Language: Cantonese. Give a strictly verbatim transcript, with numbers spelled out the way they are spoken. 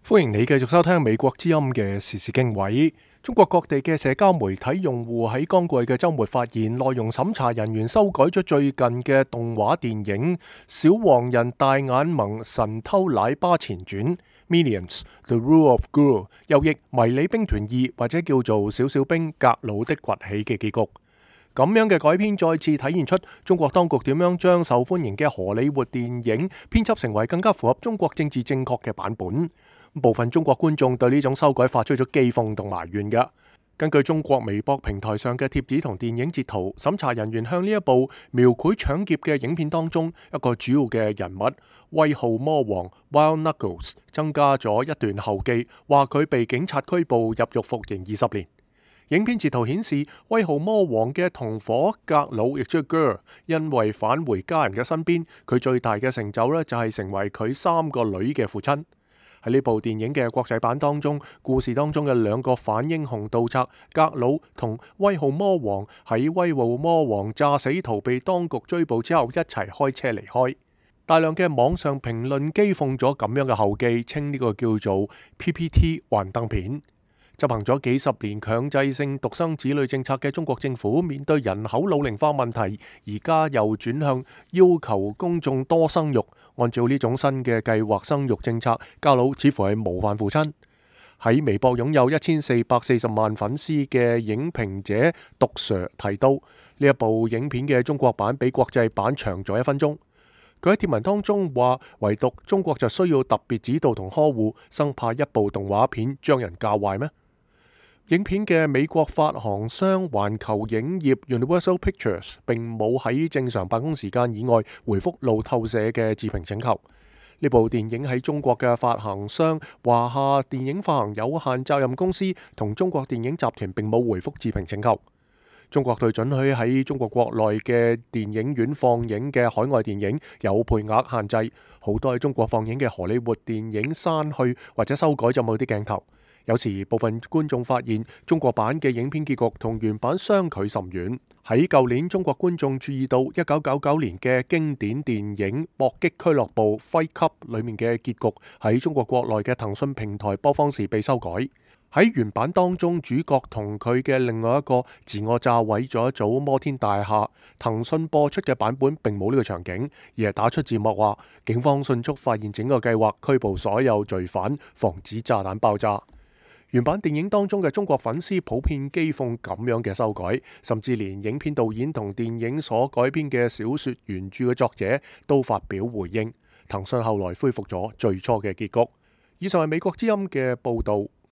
歡迎你繼續收聽美國之音嘅時事經緯。中國各地嘅社交媒體用戶喺剛過去嘅週末發現，內容審查人員修改咗最近嘅動畫電影《小黃人大眼萌神偷奶爸前傳》Minions: The Rule of Gru， 又譯迷你兵團二或者叫做小小兵格魯的崛起嘅結局。咁樣嘅改編再次體現出中國當局點樣將受歡迎嘅荷里活電影編輯成為更加符合中國政治正確嘅版本。部分中國觀眾對呢種修改發出咗譏諷同埋怨嘅。根據中國微博平台上嘅貼紙同電影截圖，審查人員向呢一部描繪搶劫嘅影片當中一個主要嘅人物威浩魔王 Wild Knuckles 增加咗一段後記，話佢被警察拘捕入獄服刑二十年。影片截圖顯示，威浩魔王嘅同伙格魯亦即係 Gru， 因為返回家人嘅身邊，佢最大嘅成就呢，就係成為佢三個女嘅父親。喺呢部電影嘅國際版當中，故事當中嘅兩個反英雄盜賊格魯同威浩魔王喺威浩魔王詐死逃避當局追捕之後一齊開車離開。大量嘅網上評論譏諷咗咁樣嘅後記，稱呢個叫做 P P T 幻燈片。執行咗幾十年強制性獨生子女政策嘅中國政府，面對人口老齡化問題，而家又轉向要求公眾多生育。按照呢種新嘅計劃生育政策，格魯似乎係模範父親。喺微博擁有一千四百四十萬粉絲嘅影評者毒 Sir 提到，呢一部影片嘅中國版比國際版長咗一分鐘。佢喺貼文當中話，唯獨中國就需要特別指導同呵護，生怕一部動畫片將人教壞咩？影片嘅美國發行商環球影業 Universal Pictures 並冇喺正常辦公時間以外回覆路透社嘅置評請求。呢部電影喺中國嘅發行商華夏電影發行有限責任公司同中國電影集團並冇回覆置評請求。中國對准許喺中國國內嘅電影院放映嘅海外電影有配額限制，好多喺中國放映嘅荷里活電影刪去或者修改咗某啲鏡頭。有時部分觀眾發現中國版嘅影片結局同原版相距甚遠。喺舊年，中國觀眾注意到一九九九年嘅經典電影《搏擊俱樂部》Fight Club 裏面嘅結局喺中國國內嘅騰訊平台播放時被修改。喺原版當中，主角同佢嘅另外一個自我炸毀咗一組摩天大廈。騰訊播出嘅版本並冇呢個場景，而係打出字幕話警方迅速發現整個計劃，拘捕所有罪犯，防止炸彈爆炸。原版電影當中嘅中國粉絲普遍譏諷咁樣嘅修改，甚至連影片導演同電影所改編嘅小說原著嘅作者都發表回應。騰訊後來恢復咗最初嘅結局。以上係美國之音嘅報導。